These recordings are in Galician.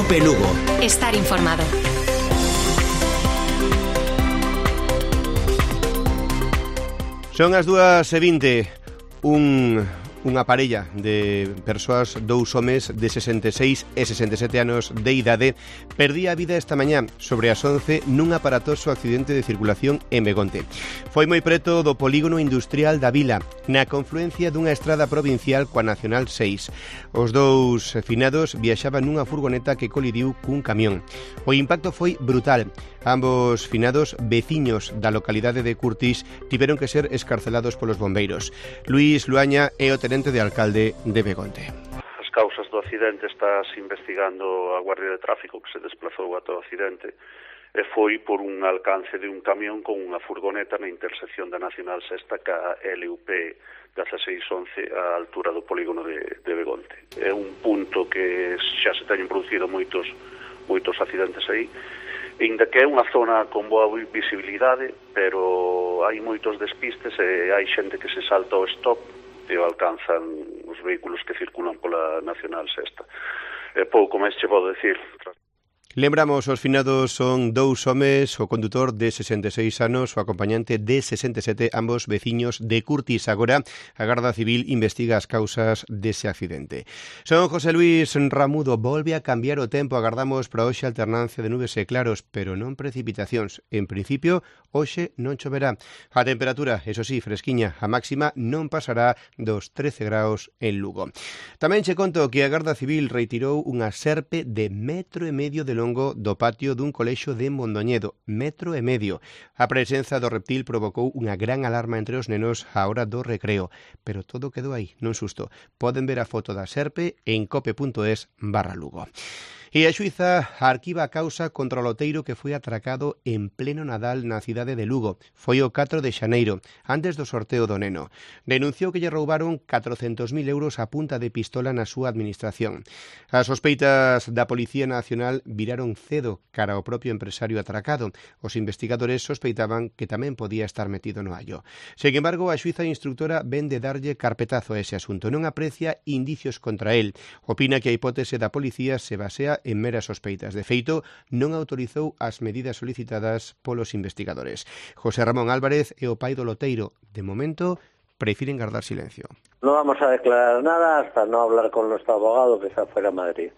Cope Lugo. Estar informado. Son as 2:20. Unha parella de persoas, dous homes de 66 e 67 anos de idade, perdía a vida esta mañá sobre as 11 nun aparatoso accidente de circulación en Begonte. Foi moi preto do polígono industrial da vila, na confluencia dunha estrada provincial coa Nacional 6. Os dous finados viaxaban nunha furgoneta que colidiu cun camión. O impacto foi brutal. Ambos finados, veciños da localidade de Curtis, tiveron que ser escarcelados polos bombeiros. Luís Luaña é o tenente de alcalde de Begonte. As causas do accidente estás investigando a Guardia de Tráfico que se desplazou ata o accidente e foi por un alcance de un camión con unha furgoneta na intersección da Nacional 6 ca LUP 1611 á altura do polígono de Begonte. É un punto que xa se teñen producido moitos accidentes aí, ainda que é unha zona con boa visibilidade, pero hai moitos despistes e hai xente que se salta ao stop e alcanzan os vehículos que circulan pola Nacional 6. Pouco máis che podo decir. Lembramos, os finados son dous homes, o condutor de 66 anos, o acompañante de 67, ambos veciños de Curtis. Agora, a Garda Civil investiga as causas dese accidente. Son José Luis Ramudo. Volve a cambiar o tempo. Agardamos para hoxe alternancia de nubes e claros, pero non precipitacións. En principio, hoxe non choverá. A temperatura, eso sí, fresquiña. A máxima non pasará dos 13 graus en Lugo. Tamén che conto que a Garda Civil retirou unha serpe de 1,5 metros de longo do patio dun colexio de Mondoñedo, 1,5 metros. A presenza do reptil provocou unha gran alarma entre os nenos á hora do recreo, pero todo quedou aí, nun susto. Poden ver a foto da serpe en cope.es/Lugo. E a xuíza arquiva a causa contra o loteiro que foi atracado en pleno Nadal na cidade de Lugo. Foi o 4 de xaneiro, antes do sorteo do neno. Denunciou que lle roubaron 400.000 euros a punta de pistola na súa administración. As sospeitas da Policía Nacional viraron cedo cara ao propio empresario atracado. Os investigadores sospeitaban que tamén podía estar metido no allo. Sen embargo, a xuíza instructora ven de darlle carpetazo a ese asunto. Non aprecia indicios contra el. Opina que a hipótese da policía se basea en meras sospeitas. De feito, non autorizou as medidas solicitadas polos investigadores. José Ramón Álvarez é o pai do loteiro. De momento, prefiren guardar silencio. No vamos a declarar nada hasta no hablar con nuestro abogado que está fuera de Madrid.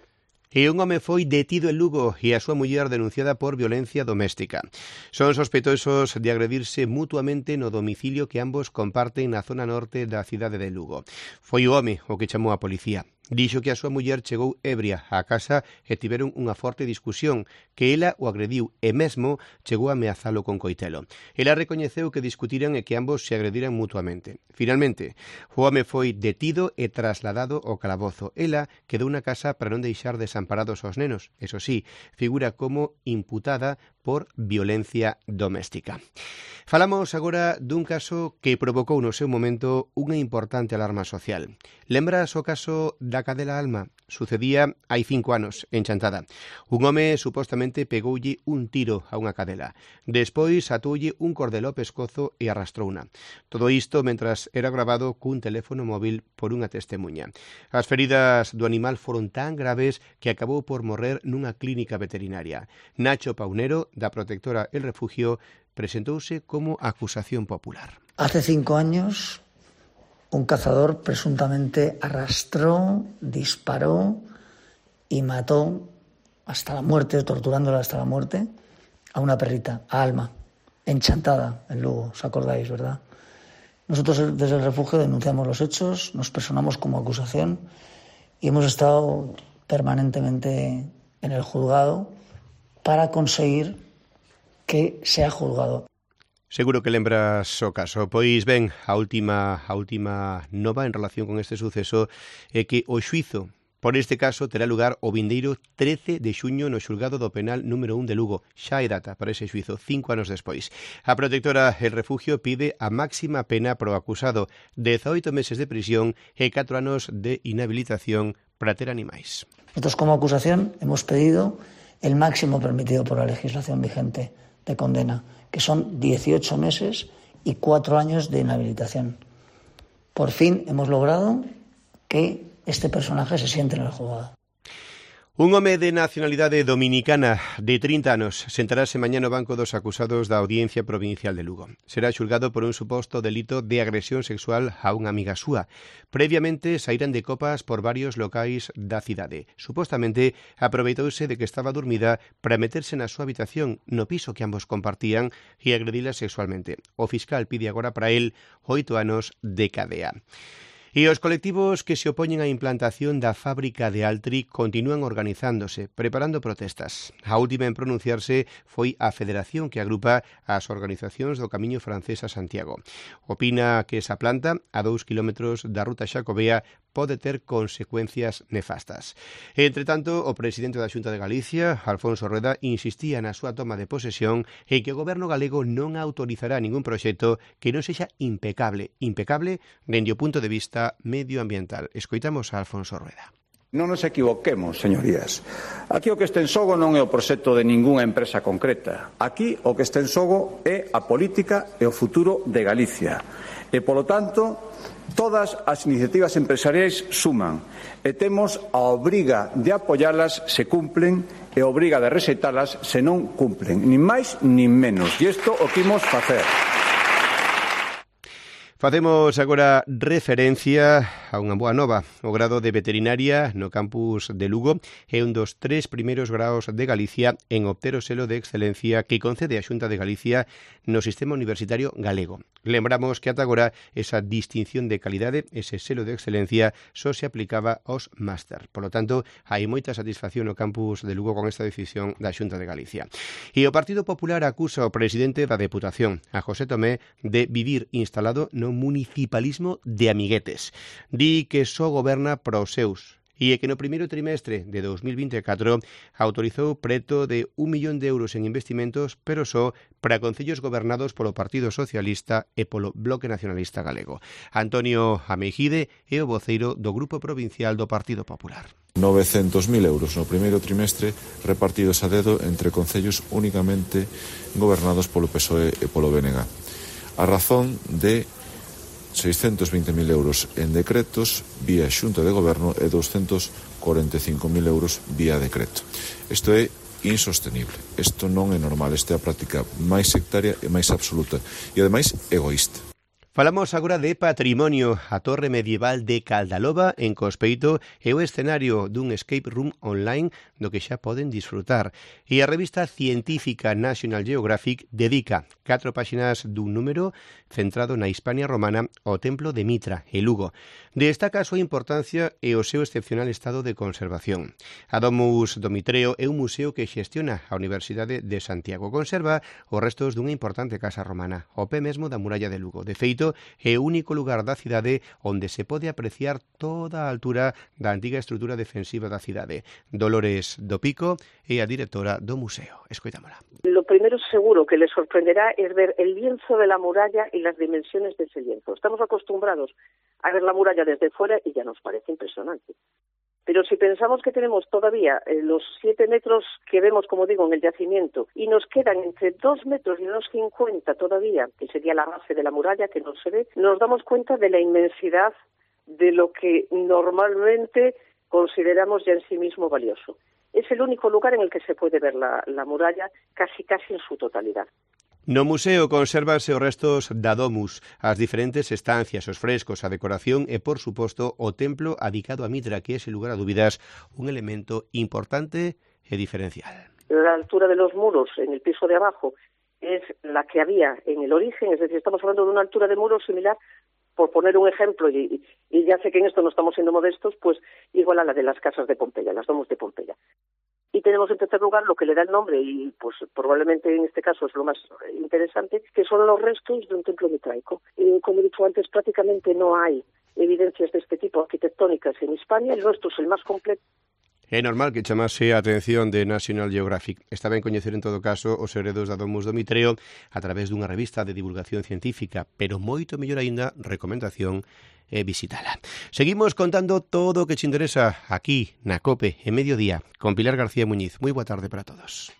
E un home foi detido en Lugo e a súa muller denunciada por violencia doméstica. Son sospeitosos de agredirse mutuamente no domicilio que ambos comparten na zona norte da cidade de Lugo. Foi o home o que chamou a policía. Dixo que a súa muller chegou ebria á casa e tiveron unha forte discusión, que ela o agrediu e mesmo chegou a ameazalo con coitelo. Ela recoñeceu que discutiran e que ambos se agrediran mutuamente. Finalmente, o home foi detido e trasladado ao calabozo. Ela quedou na casa para non deixar desamparados aos nenos. Eso sí, figura como imputada por violencia doméstica. Falamos agora dun caso que provocou no seu momento unha importante alarma social. Lembras o caso da cadela Alma? Sucedía hai 5 anos, en Chantada. Un home supostamente pegoulle un tiro a unha cadela. Despois atoulle un cordel ao pescozo e arrastrouna. Todo isto mentras era grabado cun teléfono móvil por unha testemuña. As feridas do animal foron tan graves que acabou por morrer nunha clínica veterinaria. Nacho Paunero, da protectora El Refugio, presentouse como acusación popular. Hace 5 años, un cazador presuntamente arrastró, disparó y mató hasta la muerte, torturándola hasta la muerte, a una perrita, a Alma, en Chantada, en Lugo, ¿os acordáis, verdad? Nosotros desde El Refugio denunciamos los hechos, nos personamos como acusación y hemos estado permanentemente en el juzgado para conseguir que sea juzgado. Seguro que lembras o caso. Pois ben, a última nova en relación con este suceso é que o xuízo por este caso terá lugar o vindeiro 13 de xuño no xulgado do penal número 1 de Lugo. Xa hai data para ese xuízo, 5 anos despois. A protectora El Refugio pide a máxima pena pro acusado, 18 meses de prisión e 4 anos de inhabilitación para ter animais. Nosotros como acusación hemos pedido el máximo permitido por la legislación vigente de condena, que son 18 meses y 4 años de inhabilitación. Por fin hemos logrado que este personaje se siente en el juzgado. Un home de nacionalidade dominicana de 30 anos sentarase mañá no banco dos acusados da Audiencia Provincial de Lugo. Será xulgado por un suposto delito de agresión sexual a unha amiga súa. Previamente saíran de copas por varios locais da cidade. Supostamente aproveitouse de que estaba dormida para meterse na súa habitación no piso que ambos compartían e agredila sexualmente. O fiscal pide agora para él 8 anos de cadea. E os colectivos que se opoñen á implantación da fábrica de Altri continúan organizándose, preparando protestas. A última en pronunciarse foi a federación que agrupa as organizacións do Camiño Francés a Santiago. Opina que esa planta, a 2 kilómetros da ruta xacobea, pode ter consecuencias nefastas. Entre tanto, o presidente da Xunta de Galicia, Alfonso Rueda, insistía na súa toma de posesión e que o goberno galego non autorizará ningún proxecto que non sexa impecable dende o punto de vista medioambiental. Escoitamos a Alfonso Rueda. Non nos equivoquemos, señorías. Aquí o que está en xogo non é o proxecto de ningunha empresa concreta. Aquí o que está en xogo é a política e o futuro de Galicia. E, polo tanto, todas as iniciativas empresariais suman e temos a obriga de apoialas se cumplen e a obriga de rexeitalas se non cumplen, nin máis nin menos. E isto o que imos facer. Facemos agora referencia a unha boa nova. O grado de veterinaria no campus de Lugo é un dos 3 primeiros graos de Galicia en obter o selo de excelencia que concede a Xunta de Galicia no sistema universitario galego. Lembramos que ata agora esa distinción de calidade, ese selo de excelencia, só se aplicaba aos máster. Por lo tanto, hai moita satisfacción no campus de Lugo con esta decisión da Xunta de Galicia. E o Partido Popular acusa ao presidente da Deputación, a José Tomé, de vivir instalado no municipalismo de amiguetes. Di que só goberna para os seus e que no primeiro trimestre de 2024 autorizou preto de 1 millón de euros en investimentos, pero só para concellos gobernados polo Partido Socialista e polo Bloque Nacionalista Galego. Antonio Ameijide é o voceiro do Grupo Provincial do Partido Popular. 900.000 euros no primeiro trimestre repartidos a dedo entre concellos únicamente gobernados polo PSOE e polo BNG. A razón de 620.000 euros en decretos vía Xunta de Goberno e 245.000 euros vía decreto. Isto é insostenible. Isto non é normal. Esta é a práctica máis sectaria e máis absoluta e, ademais, egoísta. Falamos agora de patrimonio. A torre medieval de Caldaloba, en Cospeito, é o escenario dun escape room online do que xa poden disfrutar. E a revista científica National Geographic dedica 4 páxinas dun número centrado na Hispania romana ao Templo de Mitra, e Lugo. Destaca a súa importancia e o seu excepcional estado de conservación. A Domus do Mitreo é un museo que xestiona a Universidade de Santiago. Conserva os restos dunha importante casa romana, ao pé mesmo da muralla de Lugo. De feito, é o único lugar da cidade onde se pode apreciar toda a altura da antiga estrutura defensiva da cidade. Dolores do Pico é a directora do museo. Escoitámola. Lo primero seguro que les sorprenderá es ver el lienzo de la muralla y las dimensiones de ese lienzo. Estamos acostumbrados a ver la muralla desde fuera y ya nos parece impresionante. Pero si pensamos que tenemos todavía los 7 metros que vemos, como digo, en el yacimiento, y nos quedan entre 2 metros y unos 50 todavía, que sería la base de la muralla que no se ve, nos damos cuenta de la inmensidad de lo que normalmente consideramos ya en sí mismo valioso. Es el único lugar en el que se puede ver la muralla casi en su totalidad. No museo consérvanse os restos da Domus, as diferentes estancias, os frescos, a decoración e, por suposto, o templo adicado a Mitra, que é, sin lugar a dúbidas, un elemento importante e diferencial. La altura de los muros en el piso de abajo es la que había en el origen, es decir, estamos hablando de una altura de muros similar, por poner un ejemplo, y ya sé que en esto no estamos siendo modestos, pues igual a la de las casas de Pompeya, las Domus de Pompeya. Y tenemos en tercer lugar lo que le da el nombre, y pues probablemente en este caso es lo más interesante, que son los restos de un templo mitraico. Como he dicho antes, prácticamente no hay evidencias de este tipo arquitectónicas en Hispania, el nuestro es el más completo. É normal que chamase a atención de National Geographic. Está ben coñecer en todo caso os segredos da Domus do Mitreo a través dunha revista de divulgación científica, pero moito mellor aínda, recomendación é visitala. Seguimos contando todo o que te interesa aquí na COPE en Mediodía con Pilar García Muñiz. Moi boa tarde para todos.